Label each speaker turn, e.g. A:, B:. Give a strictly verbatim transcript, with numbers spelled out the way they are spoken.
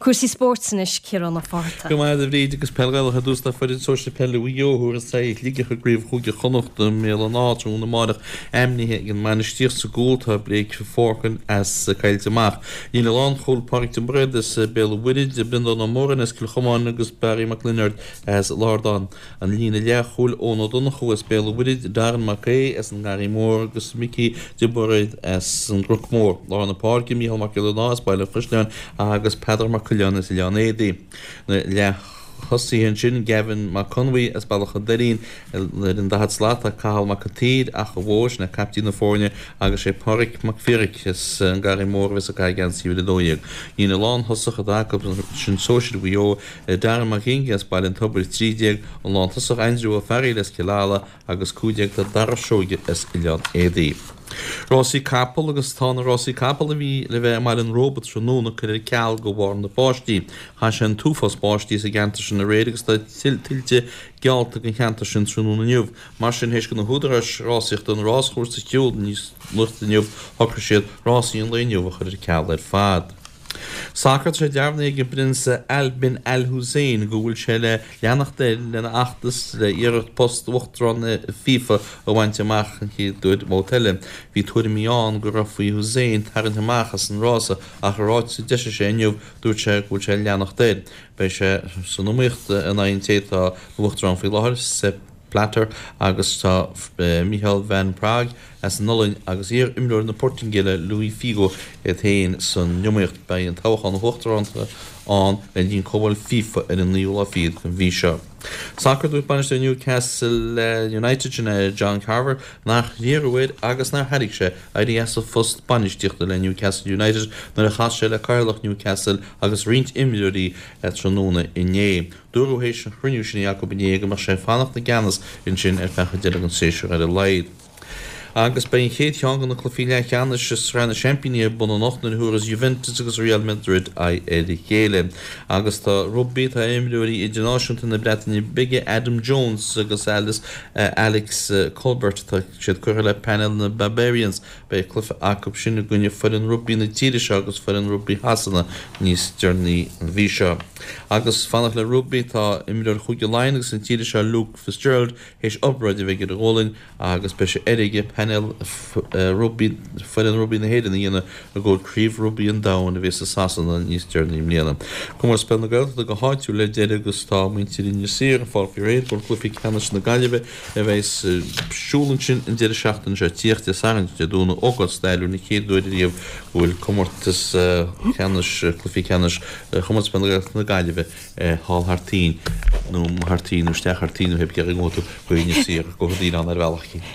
A: Cúrsaí spóirt anois Ciarán Ó Fátharta.
B: Go maith a Bhríd agus peil Ghaelach ar dtús tá foireann sóisir peile Mhaigh Eo a thabharfas aghaidh ar Shligeach i gCraobh Chúige Chonnacht i mBéal an Átha tráthnóna amárach ainmnithe ag an mbainistíocht sa gcúl tá Blake Forkin as Coillte Mach. Líne lánchúil Pádraig de Bréad as Béal an Mhuirthead, Breandán Ó Móráin as Cill Chomáin agus Barry Mac Lionáird as Lardán. An líne leathchúil Eoin Ó Donnchú as Béal an Mhuirthead, Darren Mac Aodha as an nGarraí Mór agus Micí de Bairéad as an gCnoc Mór. Lár na páirce Mícheál Mac Giolla Dáth as Baile an Chaisleáin agus Peadar Mac Coileáin as Oileán Éadaí. Na leath-thosaithe ansin, Gavin Mac Conmhaí as Bealach an Doirín, ar an daichead slat tá Cathal Mac an tSaoir, Achadh Mhór, sin é caiptín na foirne, agus sé Pádraig Mac Phiarais as an nGarraí Mór a bheas ag caitheamh geansaí uimhir a dó dhéag. Líne lántosach atá acu, sin sóisir Mhaigh Eo, Darren Mac Gingy as Baile an Tobair, a trí déag, an lántosach Aindriú Ó Fearghaíl as Cill Ala agus cúig déag tá Dara Seoige as Oileán Éadaí. Rásaí capall agus tá na rásaí capall a bhí le bheith i mBaile an Róba tráthnóna curtha ar ceal de bharr na báistí. Chaith sé an t-uafás báistí sa gceantar sin aréir agus tá tuilte geallta don cheantar sin tráthnóna inniu. Mar sin, théis do na húdaráis rásaíochta an ráschúrsa a shiúl níos luaithe inniu, shocraigh siad rásaí an lae inniu a chur ar ceal ar fad. Sacar Tá sé dearbhaithe ag an bPrionsa Ali bin Al Hussein go bhfuil sé le leanacht air lena fheachtas le iarracht post Uachtarán na FIFA a bhaint amach an chéad uair babhta eile. Bhí tuairimí ann go raibh faoi Hussein tarraingt amach as an rása ach i ráiteas a d'eisigh sé inniu dúirt sé go bhfuil sé le leanacht air. Beidh sé san iomaíocht in aghaidh an té atá ina Uachtarán faoi láthair, Sepp Blatter agus tá Michel van Praag as an Ollainn agus iar-imreoir na Portaingéile Luis Figo iad féin san iomaíocht. Beidh an toghchán uachtaránachta ann le linn comhdháil FIFA ar an naoú lá fichead den mhí seo. Sacar Dúirt bainisteoir Newcastle United sin é John Carver nach iarradh air agus nár thairg sé éirí as a phost bainistíochta le Newcastle United nuair a chas sé le cathaoirleach Newcastle agus roinnt imreoirí tráthnóna inné. Dúradh théis an chruinniú sin acu inné go mbeadh sé ag fanacht i gceannas ansin ar feadh deireadh an tséasúir ar a laghad. Agus beidh an chéad cheann de na cluichí leathcheannais i Sraith na Seaimpíní ar bun anocht nuair a thabharfas Juventus agus Real Madrid aghaidh ar a chéile. Agus tá rugbaí, tá imreoirí idirnáisiúnta na Breataine Bige Adam Jones agus Alice, Alex Colbert, tá siad curtha le painéal na Barbarians. Beidh cluiche acu sin i gcoinne foireann rugbaí na tíre seo agus foireann rugbaí Shasana níos deireanaí an mhí seo. Agus fanacht le rugbaí, tá imreoir Chúige Laighean agus na tíre seo Luke Fitzgerald théis obráid a bheith ar a ghualainn agus beidh sé airge painéal rugbaí foireann rugbaí na hÉireann a dhéanamh i gcomhair Craobh Rugbaí an Domhain a bheas i Sasana níos deireanaí i mbliana. Comórtas Peile na Gaeltachta go háitiúil le deireadh agus tá muintir Inis Oírr ag fáil faoi réir i gcomhair cluichí ceannais na Gaillimhe a bheas ar siúl ansin an deireadh seachtaine seo ag tíocht, Dé Sathairn, Dé Domhnaigh, ócáid stairiúil an chéad uair ariamh go bhfuil comórtas ceannais, cluichí ceannais Chomórtas Peile na Gaeltachta na Gaillimhe thall thar toinn nó thar toinn nó isteach thar toinn nó pé cé go tú go Inis Oírr go dtí an oileán ar bhealach.